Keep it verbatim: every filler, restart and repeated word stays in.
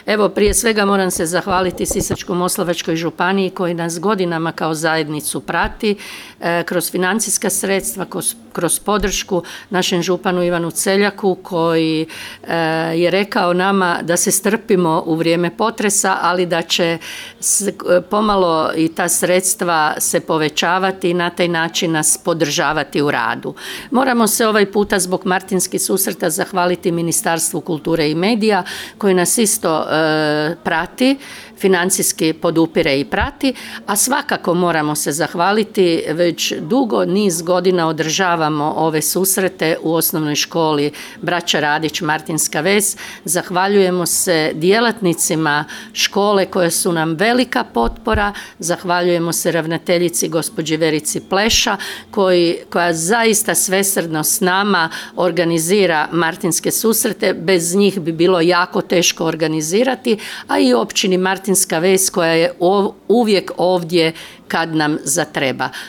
Evo, prije svega moram se zahvaliti Sisačko-moslavačkoj županiji koji nas godinama kao zajednicu prati e, kroz financijska sredstva, kroz, kroz podršku našem županu Ivanu Celjaku koji e, je rekao nama da se strpimo u vrijeme potresa, ali da će s, pomalo i ta sredstva se povećavati i na taj način nas podržavati u radu. Moramo se ovaj puta zbog Martinskih susreta zahvaliti Ministarstvu kulture i medija koji nas isto e, prati, financijski podupire i prati, a svakako moramo se zahvaliti, već dugo niz godina održavamo ove susrete u osnovnoj školi Braća Radić Martinska Ves. Zahvaljujemo se djelatnicima škole koje su nam velika potpora, zahvaljujemo se ravnateljici gospođi Verici Pleša koji, koja zaista svesrdno s nama organizira Martinske susrete, bez njih bi bilo jako teško organizirati, a i općini Martinska Ves koja je uvijek ovdje kad nam zatreba.